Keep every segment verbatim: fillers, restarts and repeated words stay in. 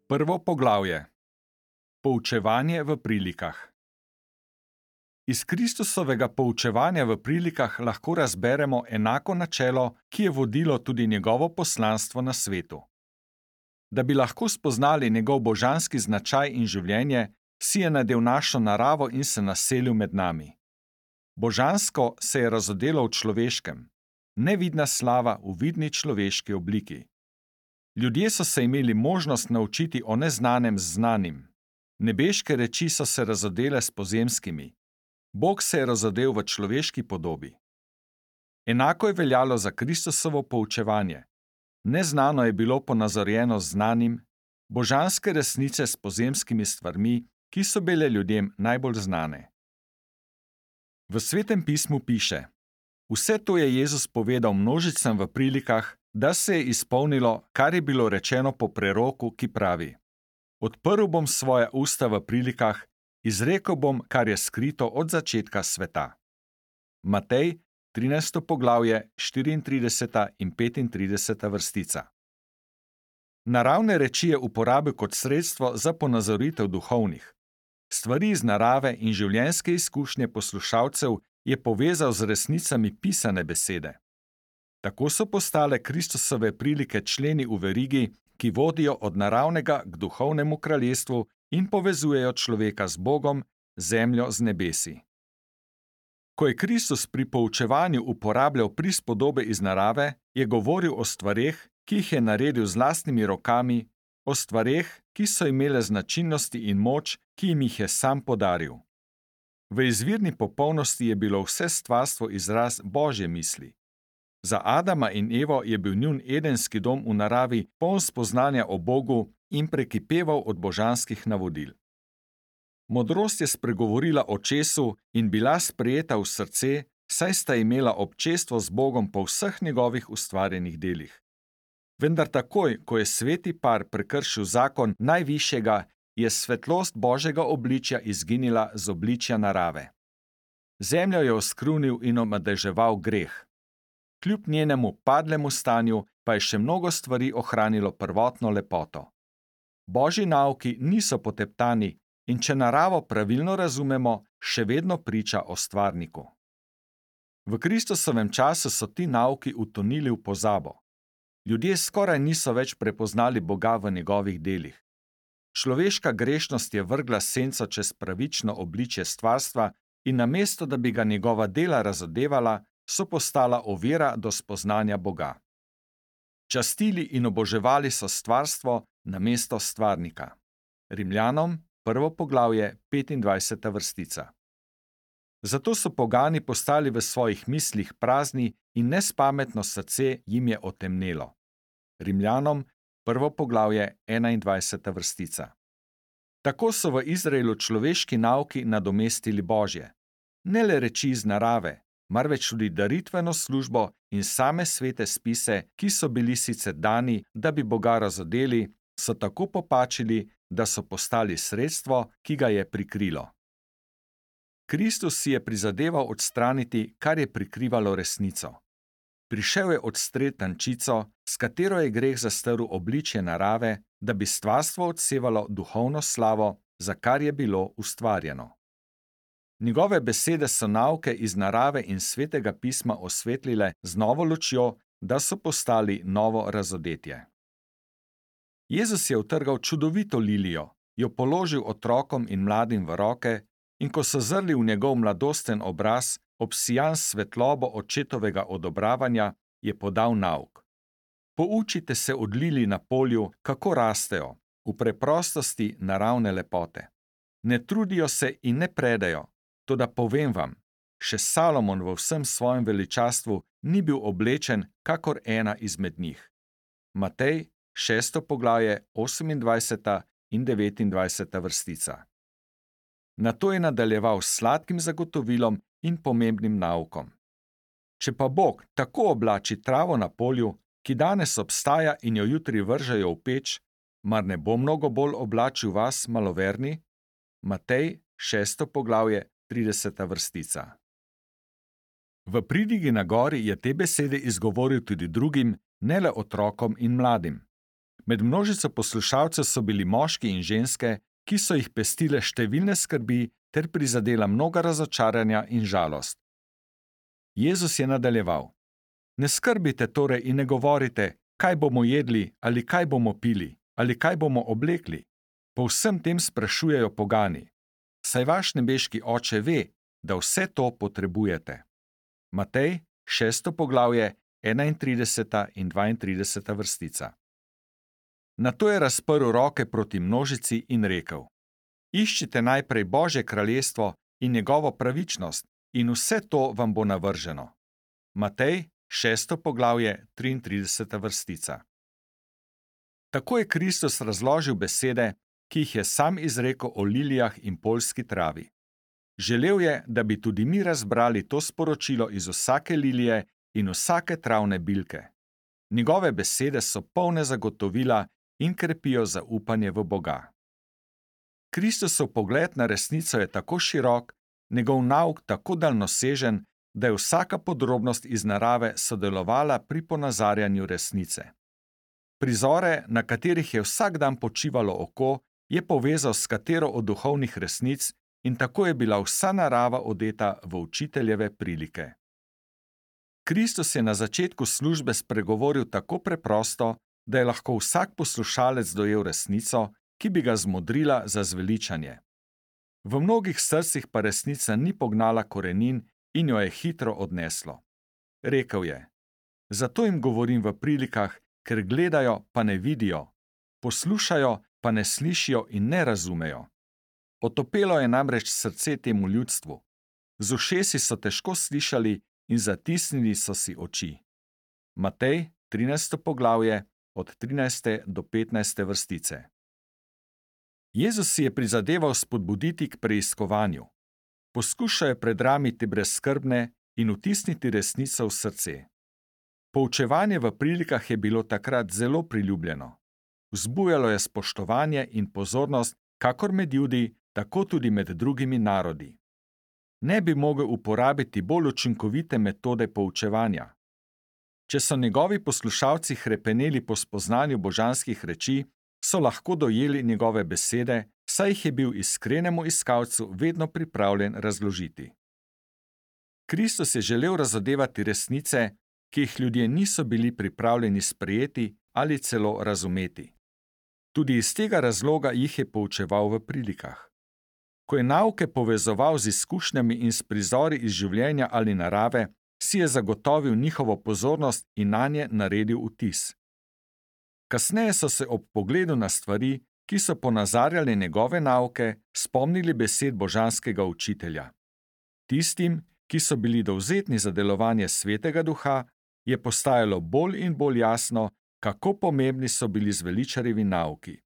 Prvo poglavje. Poučevanje v prilikah. Iz Kristusovega poučevanja v prilikah lahko razberemo enako načelo, ki je vodilo tudi njegovo poslanstvo na svetu. Da bi lahko spoznali njegov božanski značaj in življenje, si je nadel našo naravo in se naselil med nami. Božansko se je razodelo v človeškem, nevidna slava v vidni človeški obliki. Ljudje so se imeli možnost naučiti o neznanem z znanim. Nebeške reči so se razodele s pozemskimi. Bog se je razodel v človeški podobi. Enako je veljalo za Kristusovo poučevanje. Neznano je bilo ponazorjeno z znanim, božanske resnice s pozemskimi stvarmi, ki so bile ljudem najbolj znane. V Svetem pismu piše: Vse to je Jezus povedal množicam v prilikah, da se je izpolnilo, kar je bilo rečeno po preroku, ki pravi: Odprl bom svoja usta v prilikah, izrekel bom, kar je skrito od začetka sveta. Matej, trinajsto poglavje, štiriintrideseta in petintrideseta vrstica. Naravne reči je uporabil kot sredstvo za ponazoritev duhovnih. Stvari iz narave in življenjske izkušnje poslušalcev je povezal z resnicami pisane besede. Tako so postale Kristusove prilike členi v verigi, ki vodijo od naravnega k duhovnemu kraljestvu in povezujejo človeka z Bogom, zemljo z nebesi. Ko je Kristus pri poučevanju uporabljal prispodobe iz narave, je govoril o stvareh, ki jih je naredil z lastnimi rokami, o stvareh, ki so imele značilnosti in moč, ki jim jih je sam podaril. V izvirni popolnosti je bilo vse stvarstvo izraz Božje misli. Za Adama in Evo je bil njun edenski dom v naravi poln spoznanja o Bogu in prekipeval od božanskih navodil. Modrost je spregovorila o česu in bila sprejeta v srce, saj sta imela občestvo z Bogom po vseh njegovih ustvarjenih delih. Vendar takoj, ko je sveti par prekršil zakon najvišjega, je svetlost Božjega obličja izginila z obličja narave. Zemljo je oskrunil in omadeževal greh. Kljub njenemu padlemu stanju pa je še mnogo stvari ohranilo prvotno lepoto. Božji nauki niso poteptani in če naravo pravilno razumemo, še vedno priča o stvarniku. V Kristusovem času so ti nauki utonili v pozabo. Ljudje skoraj niso več prepoznali Boga v njegovih delih. Človeška grešnost je vrgla senco čez pravično obličje stvarstva in namesto, da bi ga njegova dela razodevala, so postala ovira do spoznanja Boga. Častili in oboževali so stvarstvo namesto stvarnika. Rimljanom, prvo poglavje, petindvajseta vrstica. Zato so pogani postali v svojih mislih prazni in nespametno srce jim je otemnelo. Rimljanom, prvo poglavje, enaindvajseta vrstica. Tako so v Izraelu človeški nauki nadomestili Božje. Ne le reči iz narave, marveč tudi daritveno službo in same svete spise, ki so bili sicer dani, da bi Boga razodeli, so tako popačili, da so postali sredstvo, ki ga je prikrilo. Kristus si je prizadeval odstraniti, kar je prikrivalo resnico. Prišel je odstreti tančico, s katero je greh zastrl obličje narave, da bi stvarstvo odsevalo duhovno slavo, za kar je bilo ustvarjeno. Njegove besede so nauke iz narave in svetega pisma osvetlile z novo lučjo, da so postali novo razodetje. Jezus je utrgal čudovito lilijo, jo položil otrokom in mladim v roke in ko so zrli v njegov mladosten obraz, obsijan s svetlobo očetovega odobravanja, je podal nauk. Poučite se od lilij na polju, kako rastejo, v preprostosti naravne lepote. Ne trudijo se in ne predajo, toda povem vam, še Salomon v vsem svojem veličastvu ni bil oblečen kakor ena izmed njih. Matej, šesto poglavje, osemindvajseta in devetindvajseta vrstica. Nato je nadaljeval s sladkim zagotovilom in pomembnim naukom. Če pa Bog tako oblači travo na polju, ki danes obstaja in jo jutri vržejo v peč, mar ne bo mnogo bolj oblačil vas, maloverni? Matej, šesto poglavje, trideseta vrstica. V pridigi na gori je te besede izgovoril tudi drugim, ne le otrokom in mladim. Med množico poslušalcev so bili moški in ženske, ki so jih pestile številne skrbi ter prizadela mnoga razočaranja in žalost. Jezus je nadaljeval: Ne skrbite torej in ne govorite, kaj bomo jedli ali kaj bomo pili ali kaj bomo oblekli. Po vsem tem sprašujejo pogani. Saj vaš nebeški Oče ve, da vse to potrebujete. Matej, šesto poglavje, enaintrideseta in dvaintrideseta vrstica. Nato je razprl roke proti množici in rekel: Iščite najprej Božje kraljestvo in njegovo pravičnost, in vse to vam bo navrženo. Matej, šesto poglavje, triintrideseta vrstica. Tako je Kristus razložil besede, ki jih je sam izrekel o lilijah in poljski travi. Želel je, da bi tudi mi razbrali to sporočilo iz vsake lilije in vsake travne bilke. Njegove besede so polne zagotovila in krepijo zaupanje v Boga. Kristusov pogled na resnico je tako širok, njegov nauk tako daljnosežen, da je vsaka podrobnost iz narave sodelovala pri ponazarjanju resnice. Prizore, na katerih je vsak dan počivalo oko, je povezal s katero od duhovnih resnic in tako je bila vsa narava odeta v učiteljeve prilike. Kristus je na začetku službe spregovoril tako preprosto, da je lahko vsak poslušalec dojel resnico, ki bi ga zmodrila za zveličanje. V mnogih srcih pa resnica ni pognala korenin in jo je hitro odneslo. Rekel je: Zato jim govorim v prilikah, ker gledajo, pa ne vidijo, poslušajo, pa ne slišijo in ne razumejo. Otopelo je namreč srce temu ljudstvu. Z ušesi so težko slišali in zatisnili so si oči. Matej, trinajsto poglavje, od trinajste do petnajste vrstice. Jezus si je prizadeval spodbuditi k preiskovanju. Poskušal je predramiti brezskrbne in vtisniti resnico v srce. Poučevanje v prilikah je bilo takrat zelo priljubljeno. Vzbujalo je spoštovanje in pozornost, kakor med Judi, tako tudi med drugimi narodi. Ne bi mogel uporabiti bolj učinkovite metode poučevanja. Če so njegovi poslušalci hrepeneli po spoznanju božanskih reči, so lahko dojeli njegove besede, saj jih je bil iskrenemu iskalcu vedno pripravljen razložiti. Kristus je želel razodevati resnice, ki jih ljudje niso bili pripravljeni sprejeti ali celo razumeti. Tudi iz tega razloga jih je poučeval v prilikah. Ko je nauke povezoval z izkušnjami in s prizori iz življenja ali narave, si je zagotovil njihovo pozornost in nanje naredil vtis. Kasneje so se ob pogledu na stvari, ki so ponazarjale njegove nauke, spomnili besed božanskega učitelja. Tistim, ki so bili dovzetni za delovanje Svetega Duha, je postajalo bolj in bolj jasno, kako pomembni so bili zveličarjevi nauki.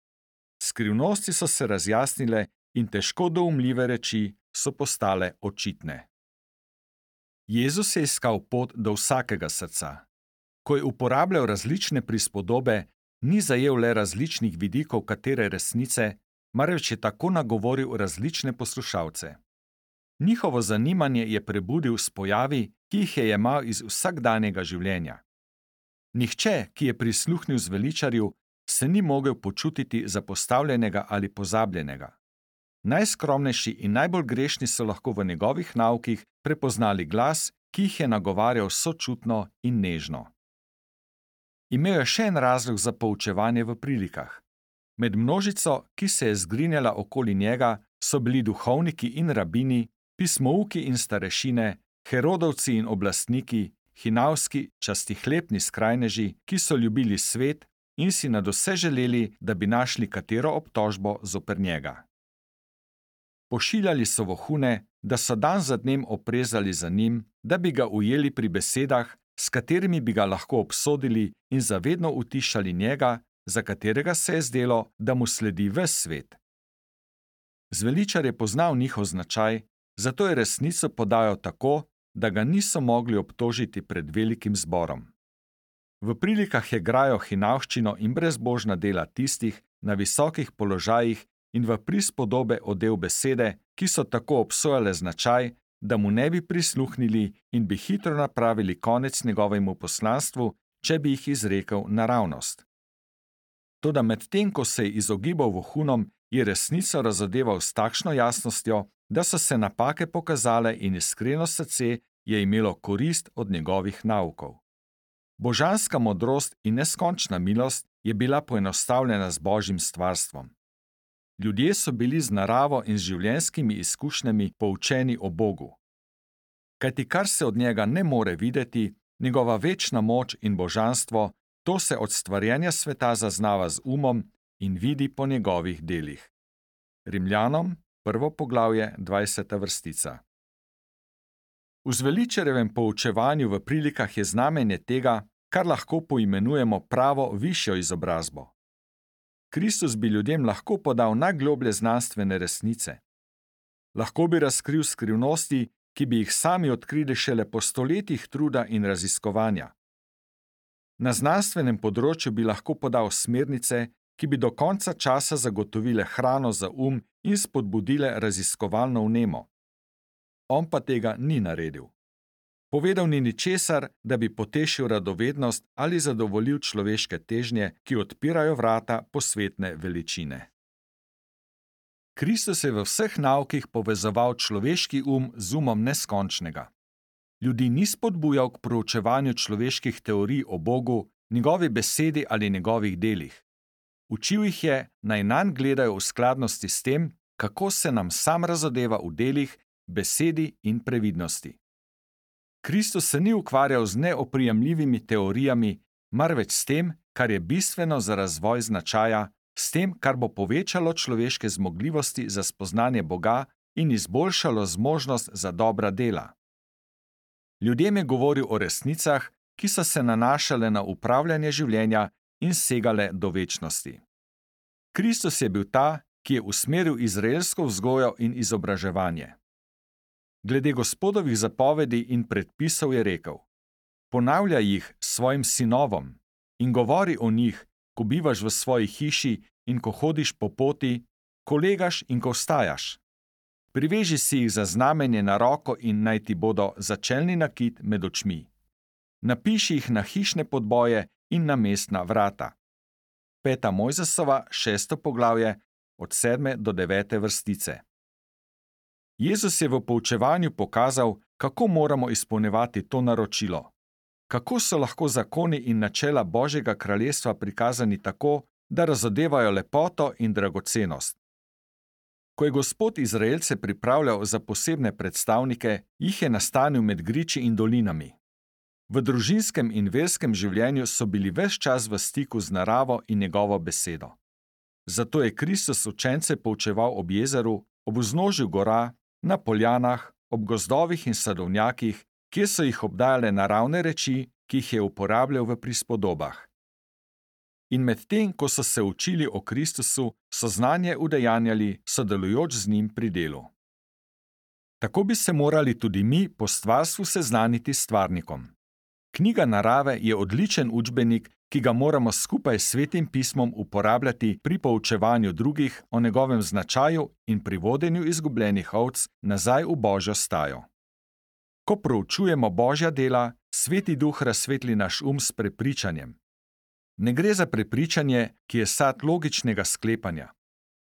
Skrivnosti so se razjasnile in težko doumljive reči so postale očitne. Jezus je iskal pot do vsakega srca. Ko je uporabljal različne prispodobe, ni zajel le različnih vidikov katere resnice, marveč je tako nagovoril različne poslušalce. Njihovo zanimanje je prebudil s pojavi, ki jih je jemal iz vsakdanjega življenja. Nihče, ki je prisluhnil zveličarju, se ni mogel počutiti zapostavljenega ali pozabljenega. Najskromnejši in najbolj grešni so lahko v njegovih naukih prepoznali glas, ki jih je nagovarjal sočutno in nežno. Imel je še en razlog za poučevanje v prilikah. Med množico, ki se je zgrinjala okoli njega, so bili duhovniki in rabini, pismouki in starešine, herodovci in oblastniki, hinavski, častihlepni skrajneži, ki so ljubili svet in si nadvse želeli, da bi našli katero obtožbo zoper njega. Pošiljali so vohune, da so dan za dnem oprezali za njim, da bi ga ujeli pri besedah, s katerimi bi ga lahko obsodili in zavedno utišali njega, za katerega se je zdelo, da mu sledi ves svet. Zveličar je poznal njihov značaj, zato je resnico podajal tako, da ga niso mogli obtožiti pred velikim zborom. V prilikah je grajal hinavščino in brezbožna dela tistih na visokih položajih in v prispodobe odel besede, ki so tako obsojale značaj, da mu ne bi prisluhnili in bi hitro napravili konec njegovemu poslanstvu, če bi jih izrekel naravnost. Toda medtem, ko se je izogibal vohunom, je resnico razodeval s takšno jasnostjo, da so se napake pokazale in iskreno srce je imelo korist od njegovih naukov. Božanska modrost in neskončna milost je bila poenostavljena z Božjim stvarstvom. Ljudje so bili z naravo in z življenjskimi izkušnjami poučeni o Bogu. Kajti kar se od njega ne more videti, njegova večna moč in božanstvo, to se od stvarjenja sveta zaznava z umom in vidi po njegovih delih. Rimljanom, prvo poglavje, dvajseta vrstica. V zveličarjevem poučevanju v prilikah je znamenje tega, kar lahko poimenujemo pravo višjo izobrazbo. Kristus bi ljudem lahko podal najgloblje znanstvene resnice. Lahko bi razkril skrivnosti, ki bi jih sami odkrili šele po stoletjih truda in raziskovanja. Na znanstvenem področju bi lahko podal smernice, ki bi do konca časa zagotovile hrano za um in spodbudile raziskovalno vnemo. On pa tega ni naredil. Povedal ni ničesar, da bi potešil radovednost ali zadovoljil človeške težnje, ki odpirajo vrata posvetne veličine. Kristus je v vseh naukih povezoval človeški um z umom neskončnega. Ljudi ni spodbujal k proučevanju človeških teorij o Bogu, njegovi besedi ali njegovih delih. Učil jih je, naj nanj gledajo v skladnosti s tem, kako se nam sam razodeva v delih, besedi in previdnosti. Kristus se ni ukvarjal z neoprijemljivimi teorijami, marveč s tem, kar je bistveno za razvoj značaja, s tem, kar bo povečalo človeške zmogljivosti za spoznanje Boga in izboljšalo zmožnost za dobra dela. Ljudem je govoril o resnicah, ki so se nanašale na upravljanje življenja in segale do večnosti. Kristus je bil ta, ki je usmeril izraelsko vzgojo in izobraževanje. Glede Gospodovih zapovedi in predpisov je rekel: ponavljaj jih svojim sinovom in govori o njih, ko bivaš v svoji hiši in ko hodiš po poti, ko legaš in ko vstajaš. Priveži si jih za znamenje na roko in naj ti bodo začelni nakit med očmi. Napiši jih na hišne podboje in na mestna vrata. Peta Mojzesova, šesto poglavje, od sedme do devete vrstice. Jezus je v poučevanju pokazal, kako moramo izpolnjevati to naročilo. Kako so lahko zakoni in načela Božjega kraljestva prikazani tako, da razodevajo lepoto in dragocenost. Ko je Gospod Izraelce pripravljal za posebne predstavnike, jih je nastanil med griči in dolinami. V družinskem in verskem življenju so bili ves čas v stiku z naravo in njegovo besedo. Zato je Kristus učence poučeval ob jezeru, ob vznožju gora, na poljanah, ob gozdovih in sadovnjakih, kjer so jih obdajale naravne reči, ki jih je uporabljal v prispodobah. In medtem, ko so se učili o Kristusu, so znanje udejanjali, sodelujoč z njim pri delu. Tako bi se morali tudi mi po stvarstvu seznaniti s stvarnikom. Knjiga narave je odličen učbenik, ki ga moramo skupaj s Svetim pismom uporabljati pri poučevanju drugih o njegovem značaju in pri vodenju izgubljenih ovc nazaj v Božjo stajo. Ko proučujemo Božja dela, Sveti Duh razsvetli naš um s prepričanjem. Ne gre za prepričanje, ki je sad logičnega sklepanja.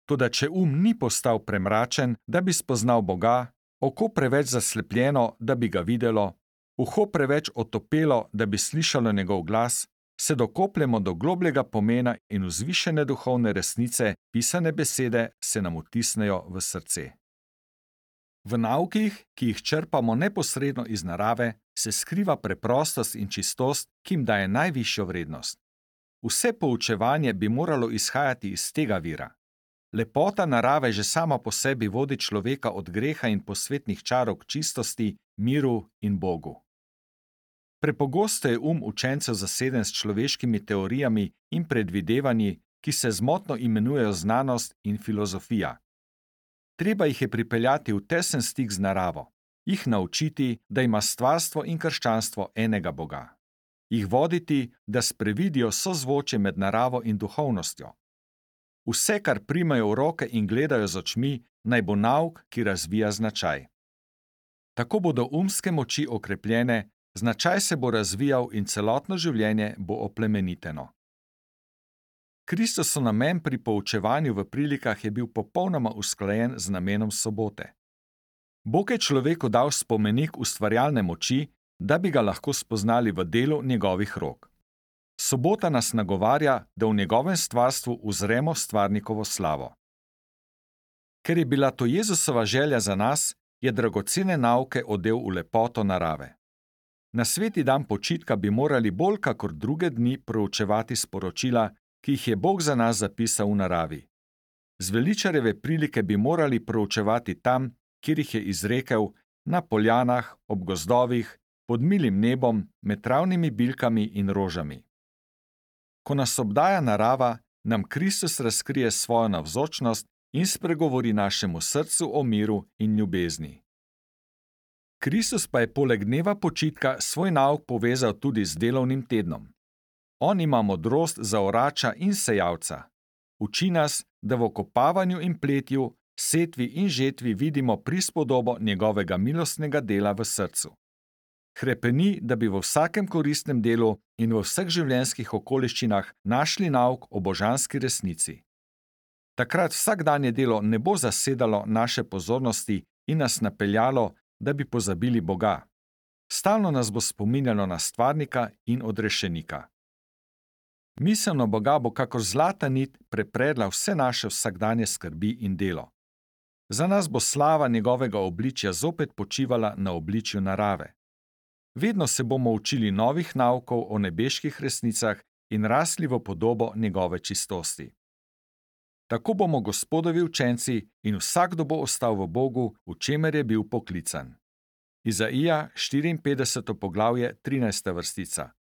Toda če um ni postal premračen, da bi spoznal Boga, oko preveč zaslepljeno, da bi ga videlo, uho preveč otopelo, da bi slišalo njegov glas, se dokopljemo do globljega pomena in vzvišene duhovne resnice, pisane besede se nam vtisnejo v srce. V naukih, ki jih črpamo neposredno iz narave, se skriva preprostost in čistost, ki jim daje najvišjo vrednost. Vse poučevanje bi moralo izhajati iz tega vira. Lepota narave že sama po sebi vodi človeka od greha in posvetnih čarov k čistosti, miru in Bogu. Prepogosto je um učencev zaseden s človeškimi teorijami in predvidevanji, ki se zmotno imenujejo znanost in filozofija. Treba jih je pripeljati v tesen stik z naravo, jih naučiti, da ima stvarstvo in krščanstvo enega Boga. Jih voditi, da sprevidijo sozvočje med naravo in duhovnostjo. Vse, kar primajo v roke in gledajo z očmi, naj bo nauk, ki razvija značaj. Tako bodo umske moči okrepljene, značaj se bo razvijal in celotno življenje bo oplemeniteno. Kristusov namen pri poučevanju v prilikah je bil popolnoma usklajen z namenom sobote. Bog je človeku dal spomenik ustvarjalne moči, da bi ga lahko spoznali v delu njegovih rok. Sobota nas nagovarja, da v njegovem stvarstvu uzremo stvarnikovo slavo. Ker je bila to Jezusova želja za nas, je dragocene nauke odel v lepoto narave. Na sveti dan počitka bi morali bolj kakor druge dni proučevati sporočila, ki jih je Bog za nas zapisal v naravi. Zveličarjeve prilike bi morali proučevati tam, kjer jih je izrekel, na poljanah, ob gozdovih, pod milim nebom, med travnimi bilkami in rožami. Ko nas obdaja narava, nam Kristus razkrije svojo navzočnost in spregovori našemu srcu o miru in ljubezni. Kristus pa je poleg dneva počitka svoj nauk povezal tudi z delovnim tednom. On ima modrost za orača in sejalca. Uči nas, da v okopavanju in pletju, setvi in žetvi vidimo prispodobo njegovega milostnega dela v srcu. Hrepeni, da bi v vsakem koristnem delu in v vseh življenjskih okoliščinah našli nauk o božanski resnici. Takrat vsakdanje delo ne bo zasedalo naše pozornosti in nas napeljalo, da bi pozabili Boga. Stalno nas bo spominjalo na stvarnika in odrešenika. Misel na Boga bo kakor zlata nit prepredla vse naše vsakdanje skrbi in delo. Za nas bo slava njegovega obličja zopet počivala na obličju narave. Vedno se bomo učili novih naukov o nebeških resnicah in rasli v podobo njegove čistosti. Tako bomo Gospodovi učenci in vsakdo bo ostal v Bogu, v čemer je bil poklican. Izaija štiriinpetdeseto poglavje, trinajsta vrstica.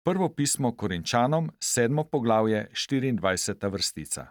Prvo pismo Korinčanom, sedmo poglavje, štiriindvajseta vrstica.